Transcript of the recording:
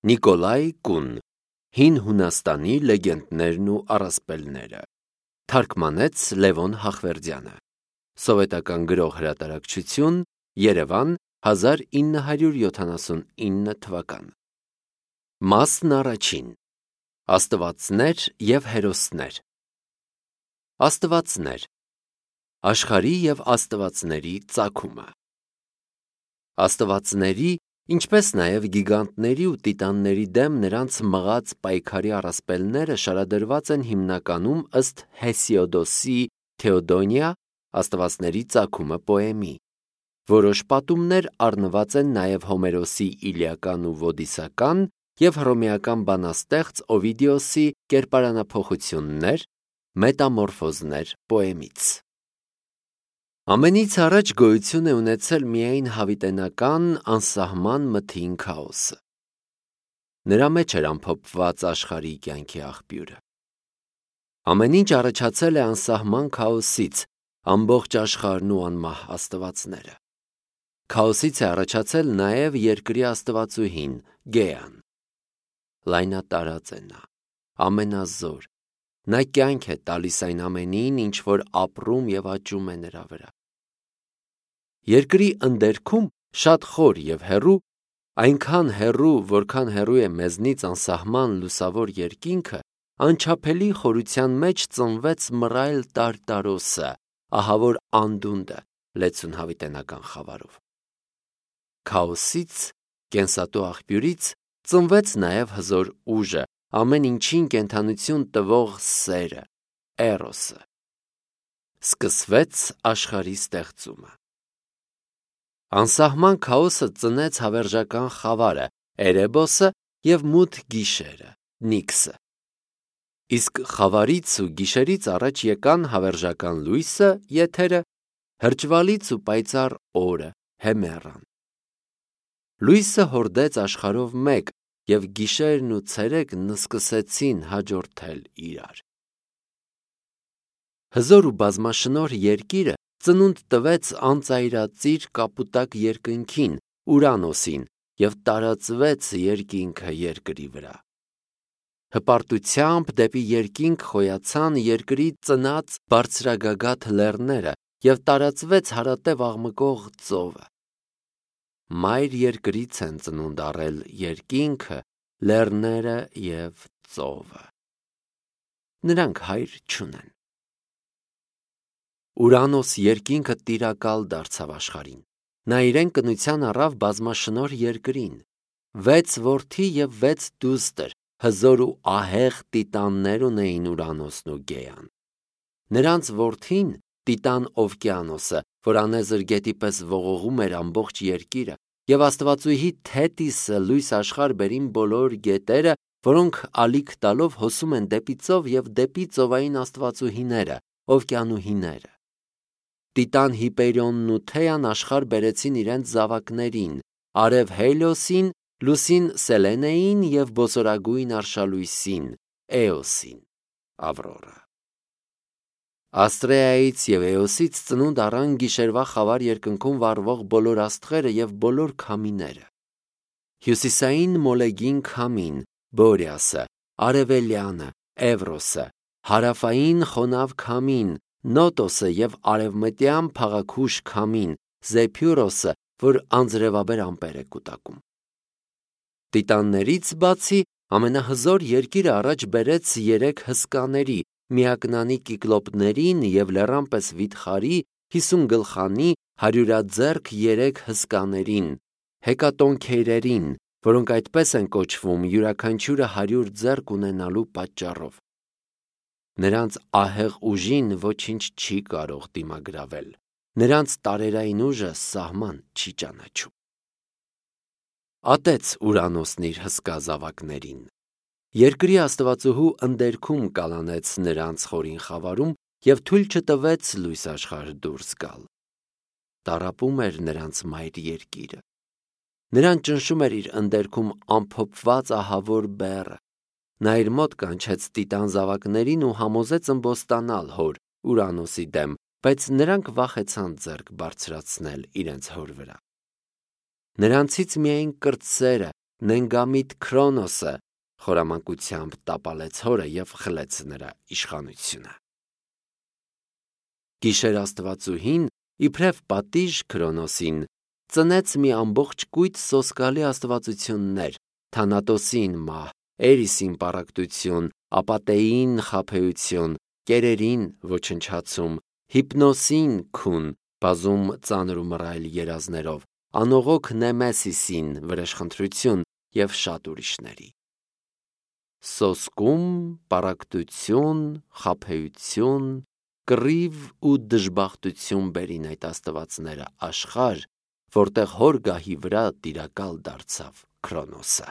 Նիկոլայ Կուն, Հին Հունաստանի լեգենդներն ու առասպելները, թարգմանեց Լևոն Հախվերդյանը, Սովետական գրող հրատարակչություն, Երևան, 1979 թվական։ Մասն առաջին. Աստվածներ և հերոսներ։ Աստվածներ, աշխարհի և աստվածների ծագումը։ Աստվածների, ինչպես նաև գիգանտների ու տիտանների դեմ նրանց մղած պայքարի առասպելները շարադրված են հիմնականում ըստ Հեսիոդոսի «Թեոդոնիա» աստվածների ծագումը պոեմի։ Որոշ պատումներ առնված են նաև Հոմերոսի «Իլիական» ու «Ոդիսական» և հռոմեական բանաստեղծ Օվիդիոսի «Կերպարանափոխություններ», «Մետամորֆոզներ» պոեմից։ Ամենից առաջ գոյություն է ունեցել միայն հավիտենական անսահման մթին քաոսը։ Նրա մեջ էր ամփոփված աշխարհի կյանքի աղբյուրը։ Ամեն ինչ առաջացել է անսահման քաոսից, ամբողջ աշխարհն ու անմահ աստվածները։ Քաոսից է առաջացել նաև երկրի աստվածուհին Գեան։ Լայնատարած է նա, ամենազոր, նա կյանք է տալիս այն ամենին, ինչ որ ապրում և աճում է նրա վրա։ Երկրի ընդերքում շատ խոր և հեռու, այնքան հեռու, որքան հեռու է մեզնից անսահման լուսավոր երկինքը, անչափելի խորության մեջ ծնվեց մռայլ Տարտարոսը, ահավոր անդունդը լեցուն հավիտենական խավարով։ Քաոսից, կենսատու աղբյուրից ծնվեց նաև հզոր ուժը, ամեն ինչին կենդանություն տվող սերը, էրոսը։ Սկսվեց աշխարհի ստեղծումը։ Անսահման քաոսը ծնեց հավերժական խավարը, Էրեբոսը և մութ գիշերը, Նիքսը։ Իսկ խավարից ու գիշերից առաջ եկան հավերժական լույսը, Եթերը, հրճվալից ու պայծառ օրը, Հեմեռան։ Լույսը հորդեց աշխարհով մեկ, և գիշերն ու ցերեկն սկսեցին հաջորդել իրար։ Հզոր ու բազմաշնորհ երկիրը ծնունդ տվեց անծայրածիր կապուտակ երկնքին, Ուրանոսին, և տարածվեց երկինքը երկրի վրա։ Հպարտությամբ դեպի երկինք խոյացան երկրի ծնած բարձրագագաթ լեռները և տարածվեց հարատև աղմկող ծովը։ Մայր երկրից են ծնունդ առել երկինքը, լեռները և ծովը։ Նրանք հայր չունեն։ Ուրանոս երկինքը տիրակալ դարձավ աշխարհին։ Նա իրեն կնության առավ բազմաշնորհ երկրին։ 6 որդի և 6 դուստր, հզոր ու ահեղ տիտաններ ունեին Ուրանոսն ու Գեան։ Նրանց որդին, Տիտան Օվկիանոսը, որ անեզր գետի պես ողողում էր ամբողջ երկիրը, և աստվածուհի Թետիսը լույս աշխարհ բերին բոլոր գետերը, որոնք ալիք տալով հոսում են դեպի ծով և դեպի ծովային աստվածուհիները, օվկիանուհիները։ Տիտան Հիպերիոնն ու Թեան աշխարհ բերեցին իրենց զավակներին՝ արև Հելիոսին, լուսին Սելենեին և բոսորագույն արշալույսին՝ Էոսին, Ավրորա։ Աստրեայից և Էոսից ծնունդ առան գիշերվա խավար երկնքում վառվող բոլոր աստղերը և բոլոր քամիները։ Հյուսիսային մոլեգին քամին՝ Բորիասը, արևելյանը՝ Էվրոսը, հարավային խոնավ քամին՝ Նոտոսը և արևմտյան փաղաքուշ քամին՝ Զեփյուրոսը, որ անձրևաբեր ամպեր է կուտակում։ Տիտաններից բացի ամենահզոր երկիրը առաջ բերեց 3 հսկաների՝ միակնանի կիկլոպներին և լեռան պես վիթխարի, 50 գլխանի, հարյուրաձեռք 3 հսկաներին՝ հեկատոնքեյրերին, որոնք այդպես են կոչվում յուրաքանչյուրը 100 ձեռք ունենալու պատճառով։ Նրանց ահեղ ուժին ոչինչ չի կարող դիմագրավել։ Նրանց տարերային ուժը սահման չի ճանաչում։ Ատեց Ուրանոսն իր հսկա զավակներին։ Երկրի աստվածուհու ընդերքում կալանեց նրանց խորին խավարում և թույլ չտվեց լույս աշխարհ դուրս գալ։ Տառապում էր նրանց մայր երկիրը։ Նրան ճնշում էր իր ընդերքում ամփոփված ահավոր բեռը։ Նա իր մոտ կանչեց տիտան զավակներին ու համոզեց ըմբոստանալ հոր Ուրանոսի դեմ, բայց նրանք վախեցան ձեռք բարձրացնել իրենց հոր վրա։ Նրանցից միայն կրտսերը, նենգամիտ Քրոնոսը խորամանկությամբ տապալեց հորը և խլեց նրա իշխանությունը։ Գիշեր աստվածուհին, իբրև պատիժ Քրոնոսին, ծնեց մի ամբողջ կույտ սոսկալի աստվածություններ, Թանատոսին մահ, Էրիսին պառակտություն, Ապատեին խաբեություն, կերերին ոչնչացում, Հիպնոսին քուն, բազում ծանր ու մռայլ երազներով, անողոք Նեմեսիսին վրեժխնդրություն և շատ ուրիշների։ Սոսկում, պառակտություն, խաբեություն, կռիվ ու դժբախտություն բերին այդ աստվածները աշխարհ, որտեղ հոր գահի վրա տիրակալ դարձավ Քրոնոսը։